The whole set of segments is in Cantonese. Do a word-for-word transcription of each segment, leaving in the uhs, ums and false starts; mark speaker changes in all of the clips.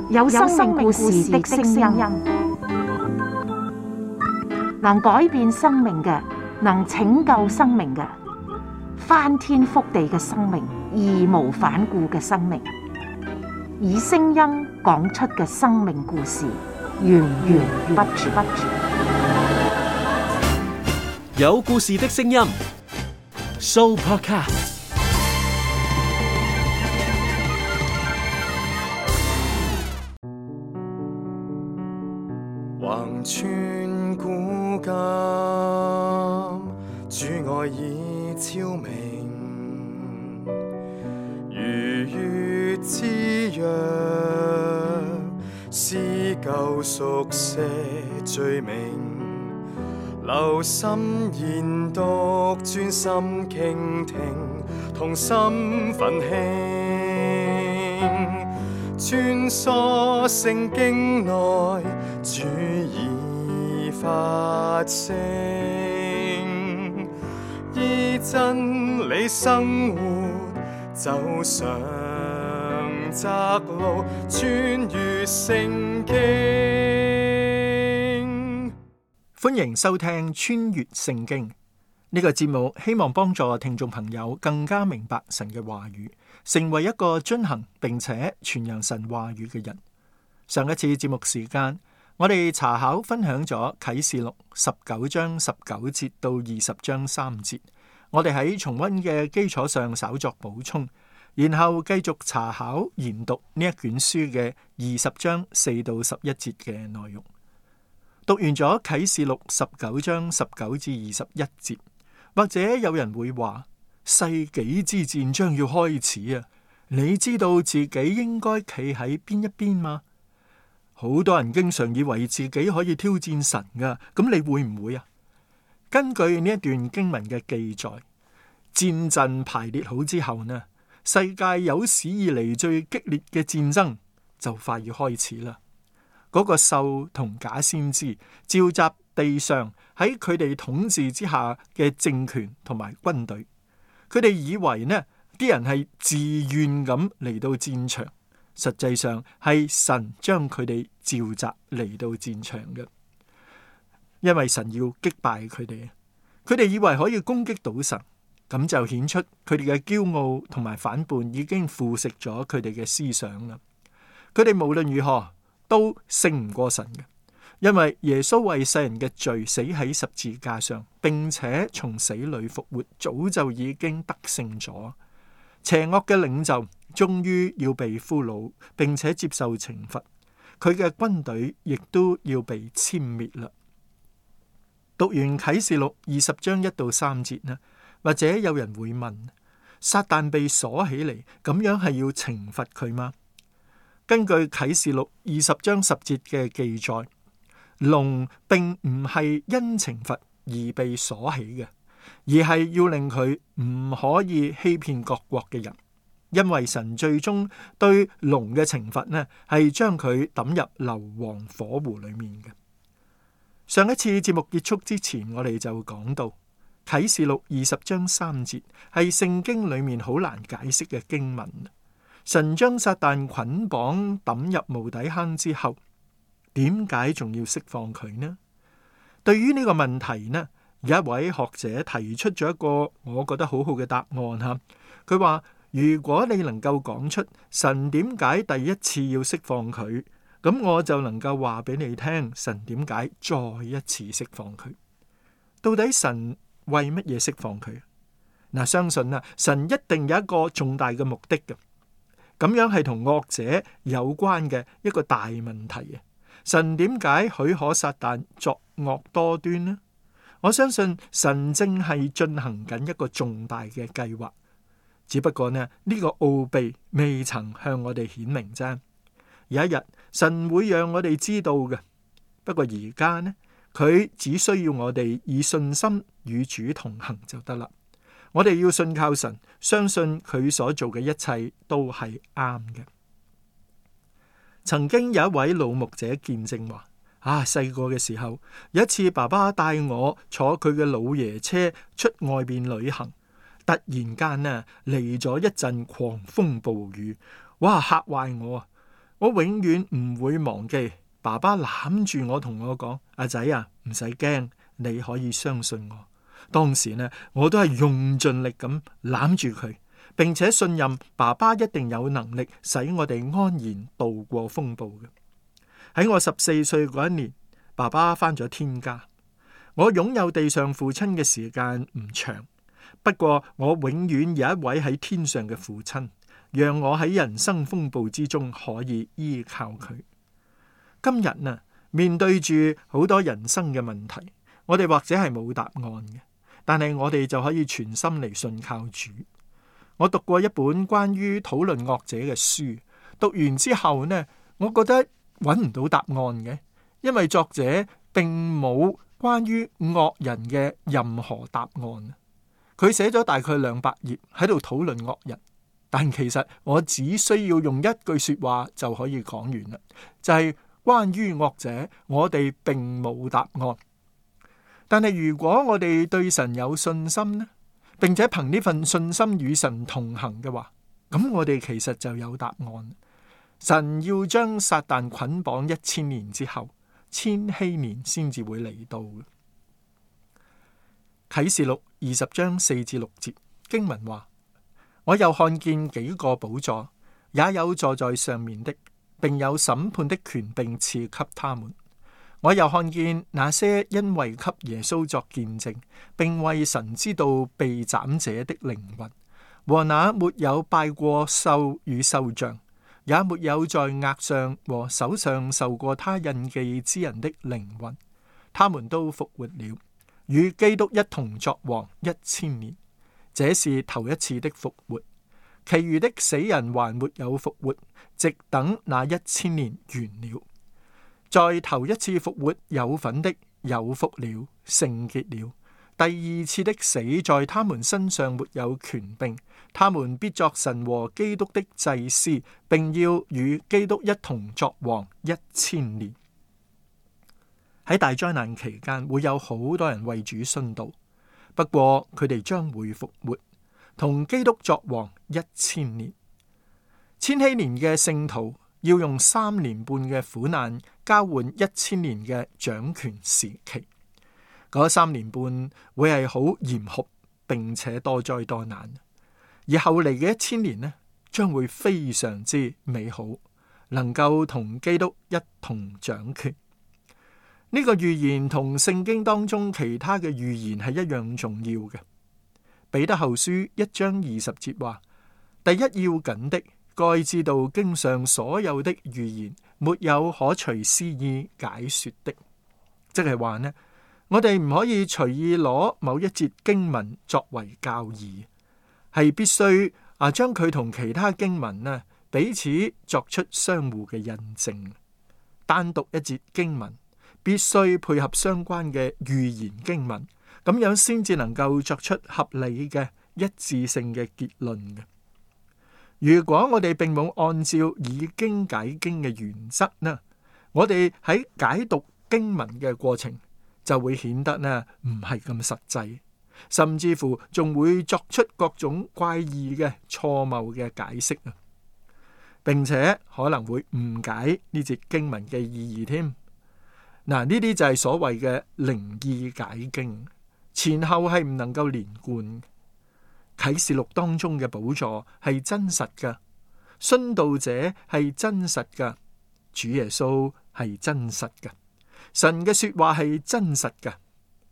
Speaker 1: 有生命故事的聲音，能改變生命嘅，能拯救生命嘅，翻天覆地嘅生命，義無反顧嘅生命，以聲音講出嘅生命故事，源源不絕。
Speaker 2: 有故事的聲音 ，Sooopodcast。
Speaker 3: 橫穿古今，主愛已超明，如月之約，撕舊熟寫罪名，留心研讀，專心傾聽，同心奮興，穿梭聖經內，主已發聲，依真理生活，走上窄路，穿越聖經。
Speaker 4: 歡迎收聽穿越聖經呢個節目，希望幫助聽眾朋友更加明白神嘅話語，成為一個遵行並且傳揚神話語嘅人。上一次節目時間，我哋查考分享咗啟示錄十九章十九節到二十章三節，我哋喺重溫嘅基礎上稍作補充，然後繼續查考研讀呢一卷書嘅二十章四到十一節嘅內容。讀完咗啟示錄十九章十九至二十一節，或者有人會話世紀之戰將要開始啊！你知道自己應該企喺邊一邊嗎？好多人經常以為自己可以挑戰神噶，咁你會唔會啊？根據呢一段經文嘅記載，戰陣排列好之後呢，世界有史以嚟最激烈嘅戰爭就快要開始啦。嗰個獸同假先知召集地上喺佢哋統治之下嘅政權同埋軍隊，佢哋以為呢啲人係自願咁嚟到戰場，實際上係神將佢哋召集嚟到戰場嘅，因為神要擊敗佢哋，佢哋以為可以攻擊到神，咁就顯出佢哋嘅驕傲同埋反叛已經腐蝕咗佢哋嘅思想啦。佢哋無論如何都勝唔過神嘅，因為耶穌為世人嘅罪死喺十字架上，並且從死裏復活，早就已經得勝咗。邪惡嘅領袖終於要被俘虜，並且接受懲罰，佢嘅軍隊亦都要被殲滅啦。讀完啟示錄二十章一到三節呢，或者有人會問：撒旦被鎖起嚟，咁樣係要懲罰佢嗎？根據啟示錄二十章十節嘅記載，龍並唔係因懲罰而被鎖起嘅，而係要令佢唔可以欺騙各國嘅人，因為神最終對龍嘅懲罰呢，係將佢抌入硫磺火湖裏面嘅。上一次節目結束之前，我哋就講到啟示錄二十章三節係聖經裏面好難解釋嘅經文。神將撒旦捆綁抌入無底坑之後，點解仲要釋放佢呢？對於呢個問題呢，有一位學者提出咗一個我覺得好好嘅答案吓。佢話：如果你能夠講出神點解第一次要釋放佢，咁我就能夠話俾你聽，神點解再一次釋放佢。到底神為乜嘢釋放佢？嗱，相信啊，神一定有一個重大嘅目的嘅。咁樣係同惡者有關嘅一個大問題啊！神點解許可撒旦作惡多端呢？我相信神正係進行緊一個重大嘅計劃，只不過呢，呢個奧秘未曾向我哋顯明啫。有一日神會讓我哋知道嘅，不過而家呢，佢只需要我哋以信心與主同行就得啦。我哋要信靠神，相信佢所做嘅一切都係啱嘅。曾經有一位老牧者見證話：啊，細個嘅時候，有一次爸爸帶我坐佢嘅老爺車出外邊旅行，突然間呢嚟咗一陣狂風暴雨，哇，嚇壞我啊！我永遠唔會忘記爸爸攬住我同我講：阿仔啊，唔使驚，你可以相信我。當時呢，我都係用盡力咁攬住佢，並且信任爸爸一定有能力使我哋安然度過風暴嘅。喺我十四歲嗰一年，爸爸返咗天家。我擁有地上父親嘅時間唔長，不過我永遠有一位喺天上嘅父親，讓我喺人生風暴之中可以依靠佢。今日啊，面對住好多人生嘅問題，我哋或者係冇答案嘅，但係我哋就可以全心嚟信靠主。我讀過一本關於討論惡者嘅書，讀完之後呢，我覺得揾唔到答案嘅，因為作者並冇關於惡人嘅任何答案。佢寫咗大概兩百頁喺度討論惡人，但其實我只需要用一句說話就可以講完啦，就係關於惡者，我哋並冇答案。但係如果我哋對神有信心呢，並且憑呢份信心與神同行嘅話，咁我哋其實就有答案。神要將撒旦捆綁一千年之後，千禧年先至會嚟到嘅。啟示錄二十章四至六節經文話：我又看見幾個寶座，也有坐在上面的，並有審判的權柄賜給他們。我又看見那些因為給耶穌作見證，並為神之道被斬者的靈魂，和那沒有拜過獸與獸像，也沒有在額上和手上受過他印記之人的靈魂，他們都復活了，與基督一同作王一千年。這是頭一次的復活，其餘的死人還沒有復活，直等那一千年完了。在頭一次復活有份的有福了，聖潔了。第二次的死在他們身上沒有權柄，他們必作神和基督的祭司，並要與基督一同作王一千年。喺大災難期間，會有好多人為主殉道，不過佢哋將會復活，同基督作王一千年。千禧年嘅聖徒要用三年半嘅苦難交換一千年嘅掌權時期。嗰三年半會係好嚴酷，並且多災多難，而後嚟嘅一千年呢，將會非常之美好，能夠同基督一同掌權。呢個預言同聖經當中其他嘅預言係一樣重要嘅。彼得後書一章二十節話：第一要緊的，該知道經上所有的預言，沒有可隨私意解說的。即係話呢，我哋唔可以隨意攞某一節經文作為教義，係必須啊將佢同其他經文呢彼此作出相互嘅印證。單獨一節經文必須配合相關嘅預言經文，咁樣先至能夠作出合理嘅一致性嘅結論嘅。如果我哋並冇按照以經解經嘅原則呢，我哋喺解讀經文嘅過程就會顯得呢唔係咁實際，甚至乎仲會作出各種怪異嘅錯謬嘅解釋啊，並且可能會誤解呢節經文嘅意義添。嗱，呢啲就係所謂嘅靈意解經，前後係唔能夠連貫。啟示錄當中嘅寶座係真實嘅，殉道者係真實嘅，主耶穌係真實嘅，神嘅說話係真實嘅，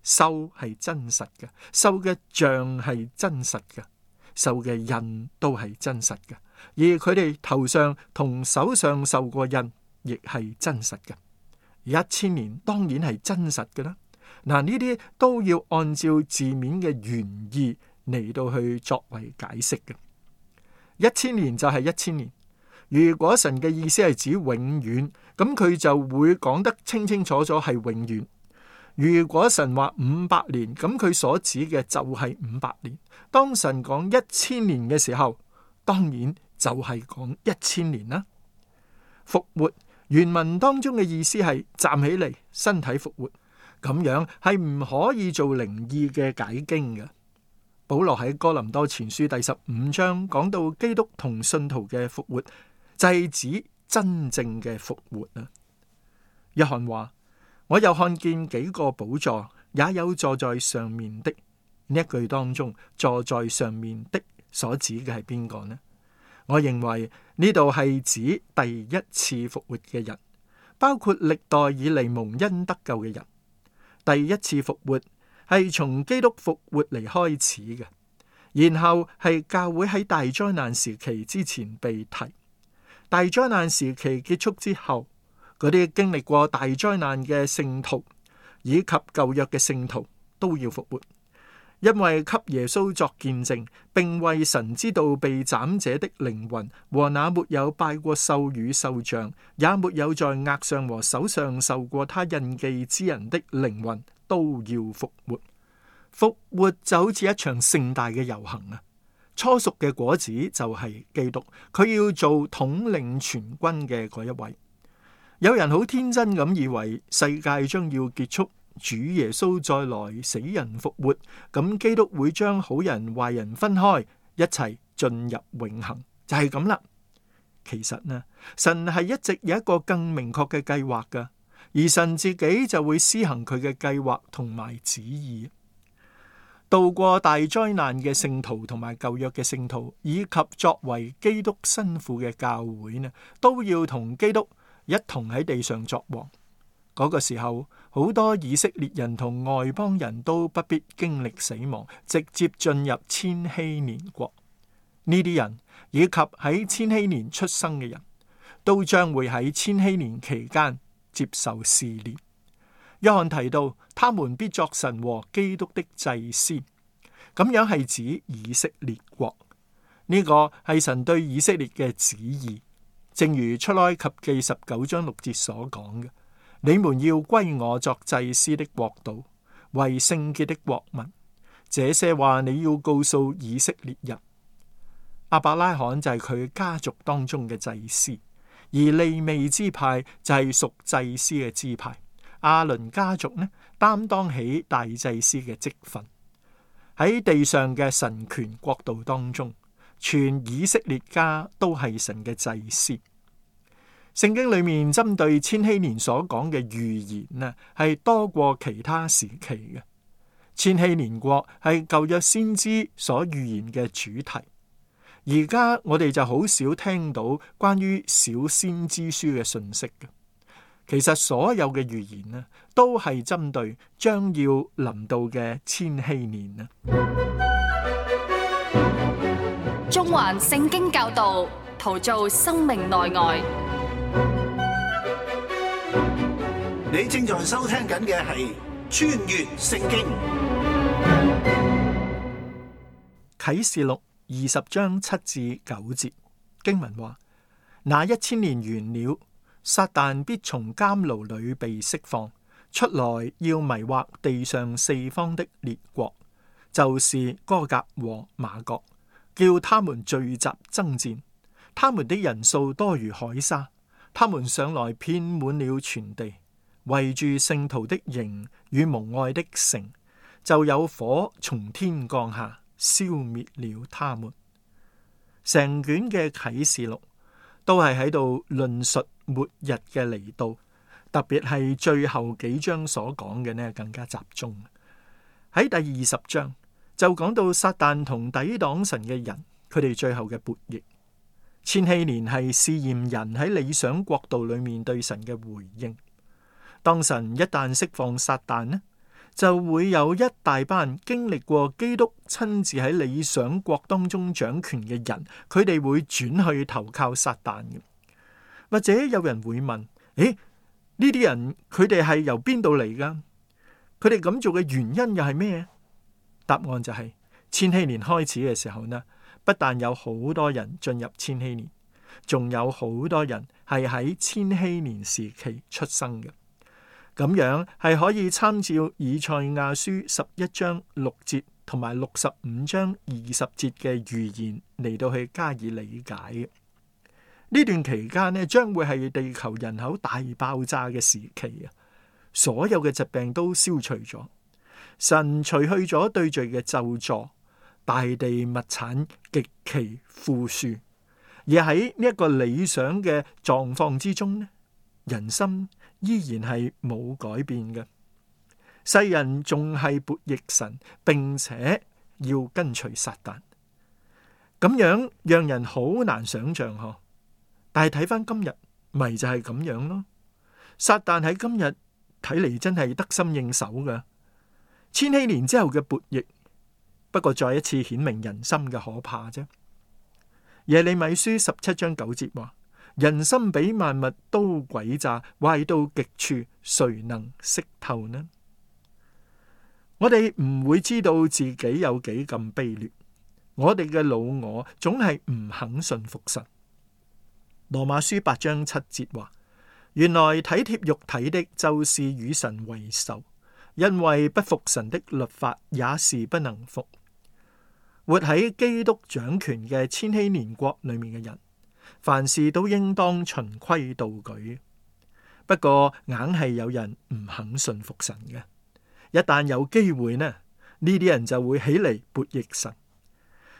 Speaker 4: 獸係真實嘅，獸嘅像係真實嘅，獸嘅印都係真實嘅，而佢哋頭上同手上受過印亦係真實嘅。一千年當然係真實嘅啦。嗱，呢啲都要按照字面嘅原意嚟到去作為解釋嘅。一千年就係一千年。如果神嘅意思係指永遠，咁佢就會講得清清楚楚係永遠。如果神話五百年，咁佢所指嘅就係五百年。當神講一千年嘅時候，當然就係講一千年啦。復活原文當中嘅意思係站起嚟，身體復活，咁樣係唔可以做靈意嘅解經嘅。保羅喺哥林多前書第十五章講到基督同信徒嘅復活，就係指真正嘅復活啊！約翰話：我又看見幾個寶座，也有坐在上面的。呢一句當中，坐在上面的所指嘅係邊個呢？我認為呢度係指第一次復活嘅人，包括歷代以嚟蒙恩得救嘅人。第一次復活係從基督復活嚟開始嘅，然後係教會喺大災難時期之前被提。大災難時期結束之後，嗰啲經歷過大災難嘅聖徒以及舊約嘅聖徒都要復活。因為給耶穌作見證，並為神之道被斬者的靈魂和那沒有拜過獸與獸像，也沒有在額上和手上受過他印記之人的靈魂，都要復活。復活就好似一場盛大嘅遊行啊！初熟嘅果子就係基督，佢要做統領全軍嘅嗰一位。有人好天真咁以為世界將要結束，主耶穌再來，死人復活，咁基督會將好人壞人分開，一齊進入永恆，就係咁啦。其實呢，神係一直有一個更明確嘅計劃噶，而神自己就會施行佢嘅計劃同埋旨意。渡過大災難嘅聖徒同埋舊約嘅聖徒，以及作為基督新婦嘅教會呢，都要同基督一同喺地上作王。嗰個時候，好多以色列人同外邦人都不必經歷死亡，直接進入千禧年國。呢啲人以及喺千禧年出生嘅人都將會喺千禧年期間接受試煉。約翰提到，他們必作神和基督的祭司，咁樣係指以色列國。呢個係神對以色列嘅旨意，正如出埃及記十九章六節所講嘅。你們要歸我作祭司的國度，為聖潔的國民。這些話你要告訴以色列人。亞伯拉罕就係佢家族當中嘅祭司，而利未支派就係屬祭司嘅支派。亞倫家族呢，擔當起大祭司嘅職分。喺地上嘅神權國度當中，全以色列家都係神嘅祭司。聖經裏面針對千禧年所講嘅預言呢，係多過其他時期嘅。千禧年國係舊約先知所預言嘅主題。而家我哋就好少聽到關於小先知書嘅信息嘅。其實所有嘅預言呢，都係針對將要臨到嘅千禧年啊。
Speaker 5: 中環聖經教導，陶造生命內外。
Speaker 6: 你正在收聽緊嘅係穿越聖經
Speaker 4: 啟示錄二十章七至九節經文話：那一千年完了，撒旦必從監牢裏被釋放出來，要迷惑地上四方的列國，就是歌革和瑪各，叫他們聚集爭戰。他們的人數多如海沙，他們上來遍滿了全地。圍住聖徒的營與蒙愛的城，就有火從天降下，消滅了他們。成卷嘅啟示錄都係喺度論述末日嘅嚟到，特別係最後幾章所講嘅呢，更加集中。喺第二十章就講到撒旦同抵擋神嘅人，佢哋最後嘅悖逆。千禧年係試驗人喺理想國度裏面對神嘅回應。當神一旦釋放撒旦呢，就會有一大班經歷過基督親自喺理想國當中掌權嘅人，佢哋會轉去投靠撒旦嘅。或者有人會問：誒，呢啲人佢哋係由邊度嚟噶？佢哋咁做嘅原因又係咩？答案就係千禧年開始嘅時候呢，不但有好多人進入千禧年，仲有好多人係喺千禧年時期出生嘅。咁樣係可以參照以賽亞書十一章六節同埋六十五章二十節嘅預言嚟到去加以理解嘅。呢段期間呢，將會係地球人口大爆炸嘅時期啊！所有嘅疾病都消除咗，神除去咗對罪嘅咒詛，大地物產極其富庶，而喺呢一個理想嘅狀況之中呢，人心依然係冇改變嘅。世人仲係悖逆神，並且要跟隨撒旦，咁樣讓人好難想象嗬。但係睇翻今日，咪就係咁樣咯。撒旦喺今日睇嚟真係得心應手噶。千禧年之後嘅悖逆，不過再一次顯明人心嘅可怕啫。耶利米書十七章九節話：人心比萬物都詭詐，壞到極處，誰能識透呢？我哋唔會知道自己有幾咁卑劣，我哋嘅老我總係唔肯信服神。羅馬書八章七節話：原來體貼肉體的，就是與神為仇，因為不服神的律法，也是不能服。活喺基督掌權嘅千禧年國裏面嘅人，凡事都應當循規蹈矩。不過硬係有人唔肯信服神嘅。一旦有機會呢，呢啲人就會起嚟悖逆神，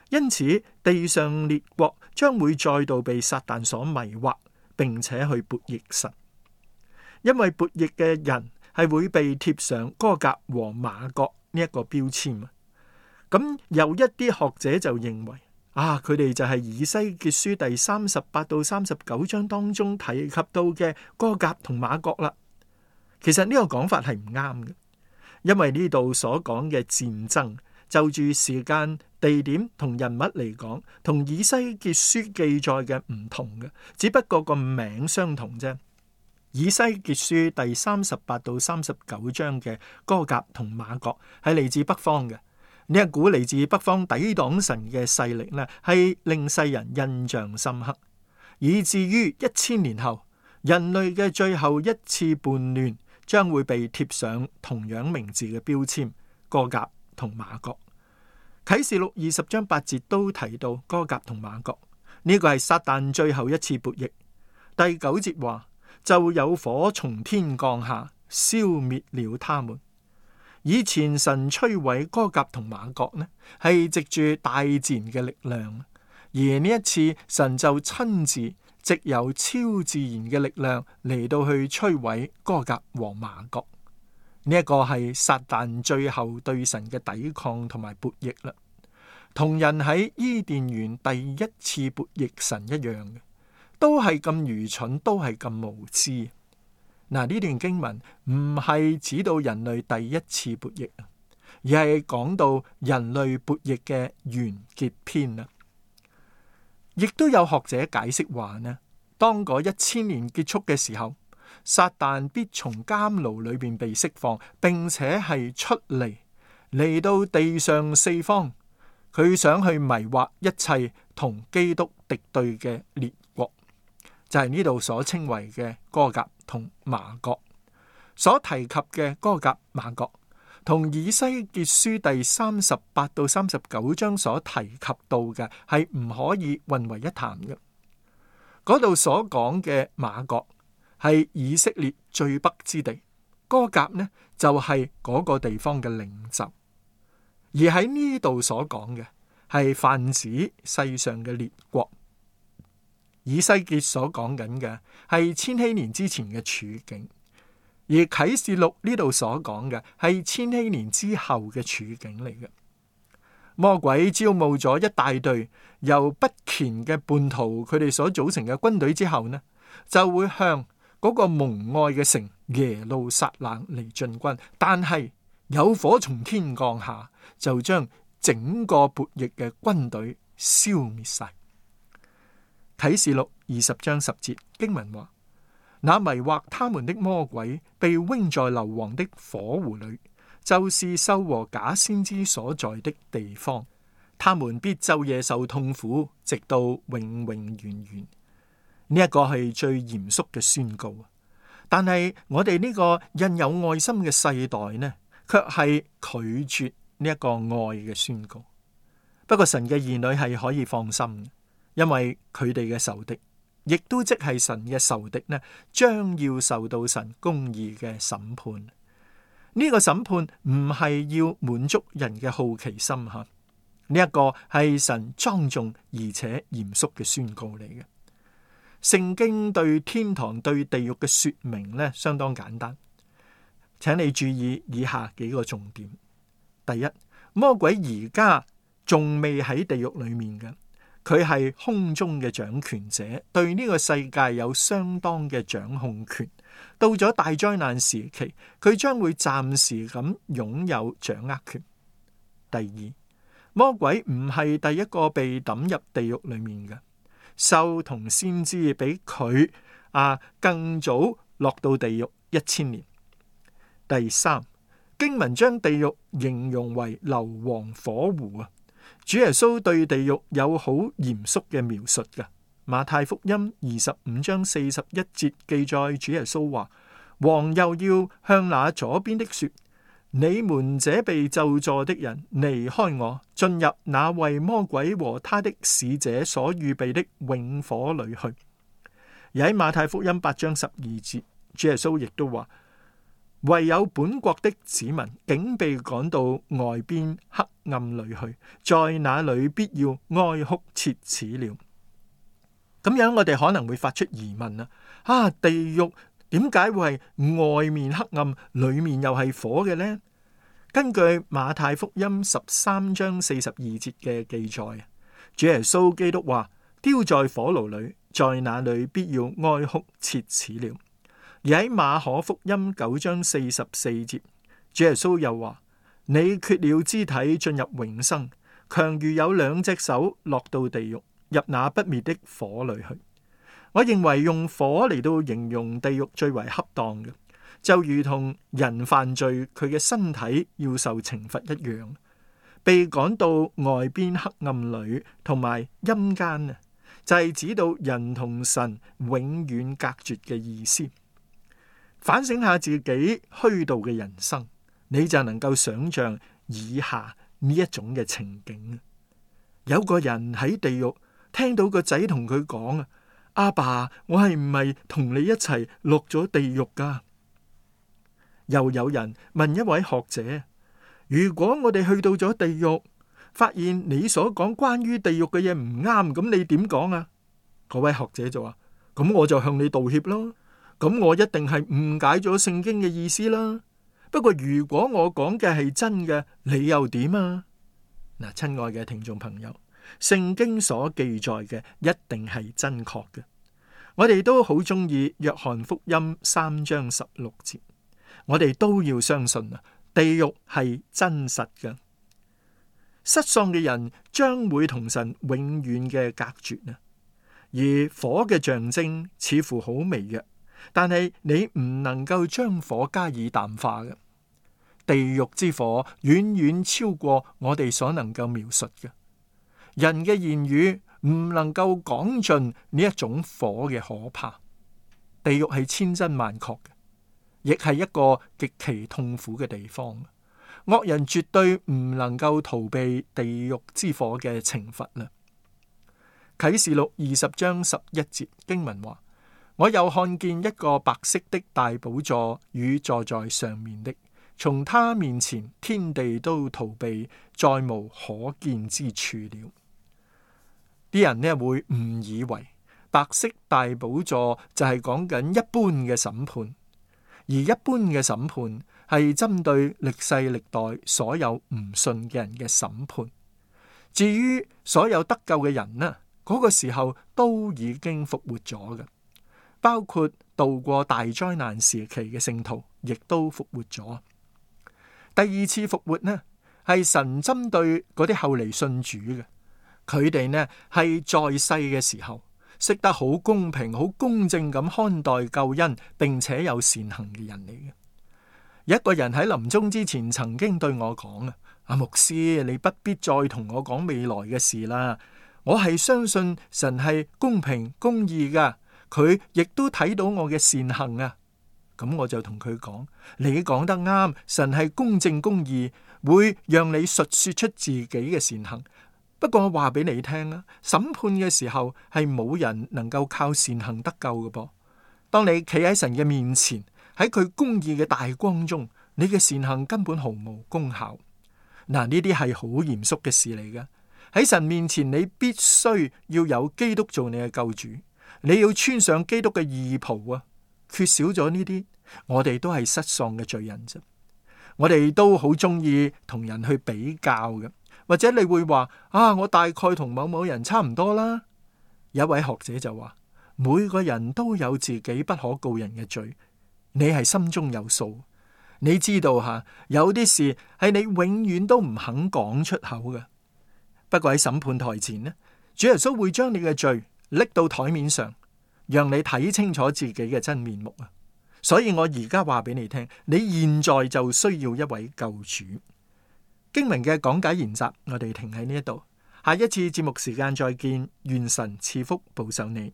Speaker 4: 因此地上列國將會再度被撒旦所迷惑，並且去悖逆神。因為悖逆嘅人係會被貼上歌革和瑪各呢一個標籤。咁有一啲學者就認為啊，佢哋就係以西結書第三十八到三十九章當中提及到嘅歌革同瑪各啦。其實呢個講法係唔啱嘅。因為呢度所講嘅戰爭，就住時間、地點同人物嚟講，同以西結書記載嘅唔同嘅，只不過個名相同啫。以西結書第三十八到三十九章嘅歌革同瑪各係嚟自北方嘅，呢一股嚟自北方抵擋神嘅勢力呢，係令世人印象深刻，以至於一千年後人類嘅最後一次叛亂，將會被貼上同樣名字嘅標籤，歌革同瑪各。啟示錄二十章八節都提到歌革同瑪各，呢、這個係撒旦最後一次悖逆。第九節話，就有火從天降下，消滅了他們。以前神摧毀歌革同瑪各呢，係藉住大自然嘅力量，而呢一次神就親自藉由超自然嘅力量嚟到去摧毀歌革和瑪各。呢、這、一個係撒旦最後對神嘅抵抗同埋悖逆啦，同人喺伊甸園第一次悖逆神一樣嘅，都係咁愚蠢，都係咁無知。嗱，呢段經文唔係指到人類第一次悖逆，而係講到人類悖逆嘅完結篇啦。亦都有學者解釋話呢，當嗰一千年結束嘅時候，撒旦必從監牢裏邊被釋放，並且係出嚟嚟到地上四方，佢想去迷惑一切同基督敵對嘅列國，就係呢度所稱為嘅歌革同瑪各。所提及嘅歌革瑪各，同以西結書第三十八到三十九章所提及到嘅係唔可以混為一談嘅。嗰度所講嘅瑪各係以色列最北之地，歌革呢就係、是、嗰個地方嘅領袖。而喺呢度所講嘅係泛指世上嘅列國。以西結所講緊嘅係千禧年之前嘅處境。而啟示錄呢度所講嘅係千禧年之後嘅處境嚟嘅。魔鬼招募咗一大隊由不虔嘅叛徒佢哋所組成嘅軍隊之後呢，就會向嗰個蒙愛嘅城耶路撒冷嚟進軍。但係有火從天降下，就將整個悖逆嘅軍隊消滅晒。啟示錄二十章十節經文話：那迷惑他們的魔鬼被扔在硫磺的火湖裏，就是獸和假先知所在的地方。他們必晝夜受痛苦，直到永永遠遠。呢一個係最嚴肅嘅宣告。但係我哋呢個印有愛心嘅世代呢，卻係拒絕呢一個愛嘅宣告。不過神嘅兒女係可以放心，因為佢哋嘅仇敵，亦都即係神嘅仇敵呢，將要受到神公義嘅審判。呢個審判唔係要滿足人嘅好奇心吓，呢一個係神莊重而且嚴肅嘅宣告嚟嘅。聖經對天堂對地獄嘅說明呢，相當簡單，請你注意以下幾個重點。第一，魔鬼而家仲未喺地獄裏面嘅，佢係空中嘅掌權者，對呢個世界有相當嘅掌控權。到咗大災難時期，佢將會暫時咁擁有掌握權。第二，魔鬼唔係第一個被抌入地獄裏面嘅，獸同先知比佢啊更早落到地獄一千年。第三，經文將地獄形容為硫磺火湖啊。主耶穌對地獄有好嚴肅嘅描述嘅。馬太福音二十五章四十一節記載，主耶穌話：王又要向那左邊的說，你們這被咒詛的人，離開我，進入那為魔鬼和他的使者所預備的永火裏去。而喺馬太福音八章十二節，主耶穌亦都話：唯有本國的子民竟被趕到外邊黑暗裏去，在那裏必要哀哭切齒了。咁樣我哋可能會發出疑問啊！啊，地獄點解會係外面黑暗，裏面又係火嘅呢？根據馬太福音十三章四十二節嘅記載，主耶穌基督話：丟在火爐裏，在那裏必要哀哭切齒了。而喺馬可福音九章四十四節，主耶穌又話：你缺了肢體進入永生，強如有兩隻手落到地獄，入那不滅的火裏去。我認為用火嚟到形容地獄最為恰當嘅，就如同人犯罪，佢嘅身體要受懲罰一樣，被趕到外邊黑暗裏同埋陰間啊，就係指到人同神永遠隔絕嘅意思。反省下自己虛度嘅人生，你就能夠想象以下呢一種嘅情景。有個人喺地獄聽到個仔同佢講啊，阿爸，我係唔係同你一齊落咗地獄噶？又有人問一位學者：如果我哋去到咗地獄，發現你所講關於地獄嘅嘢唔啱，咁你點講啊？嗰位學者就話：咁我就向你道歉咯。咁我一定係誤解咗聖經嘅意思啦。不過如果我講嘅係真嘅，你又點啊？嗱，親愛嘅聽眾朋友，聖經所記載嘅一定係真確嘅。我哋都好中意約翰福音三章十六節，我哋都要相信啊，地獄係真實嘅。失喪嘅人將會同神永遠嘅隔絕啊，而火嘅象徵似乎好微弱。但係你唔能夠將火加以淡化嘅，地獄之火遠遠超過我哋所能夠描述嘅。人嘅言語唔能夠講盡呢一種火嘅可怕。地獄係千真萬確嘅，亦係一個極其痛苦嘅地方。惡人絕對唔能夠逃避地獄之火嘅懲罰啦。啟示錄二十章十一節經文話：我又看見一個白色的大寶座與坐在上面的，從他面前天地都逃避，再無可見之處了。啲人呢會誤以為白色大寶座就係講緊一般嘅審判，而一般嘅審判係針對歷世歷代所有唔信嘅人嘅審判。至於所有得救嘅人呢，嗰個時候都已經復活咗嘅。包括度過大災難時期嘅聖徒，亦都復活咗。第二次復活呢，係神針對嗰啲後嚟信主嘅，佢哋呢係在世嘅時候識得好公平、好公正咁看待救恩，並且有善行嘅人嚟嘅。有一個人喺臨終之前曾經對我講啊，阿牧師，你不必再同我講未來嘅事啦，我係相信神係公平公義噶。佢亦都睇到我嘅善行啊，咁我就同佢講：你講得啱，神係公正公義，會讓你述說出自己嘅善行。不過我話俾你聽啊，審判嘅時候係冇人能夠靠善行得救嘅噃。當你企喺神嘅面前，喺佢公義嘅大光中，你嘅善行根本毫無功效。嗱，呢啲係好嚴肅嘅事嚟嘅。喺神面前，你必須要有基督做你嘅救主，你要穿上基督嘅義袍啊！缺少咗呢啲，我哋都係失喪嘅罪人啫。我哋都好中意同人去比較嘅，或者你會話啊，我大概同某某人差唔多啦。有一位學者就話，每個人都有自己不可告人嘅罪，你係心中有數。你知道吓，有啲事係你永遠都唔肯講出口嘅。不過喺審判台前呢，主耶穌會將你嘅罪拎到台面上，讓你睇清楚自己嘅真面目啊！所以我而家話俾你聽，你現在就需要一位救主。經文嘅講解研習，我哋停喺呢一度，下一次節目時間再見，願神賜福保守你。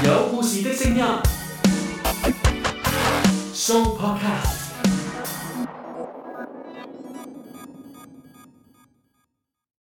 Speaker 2: 有故事的聲音，Show Podcast。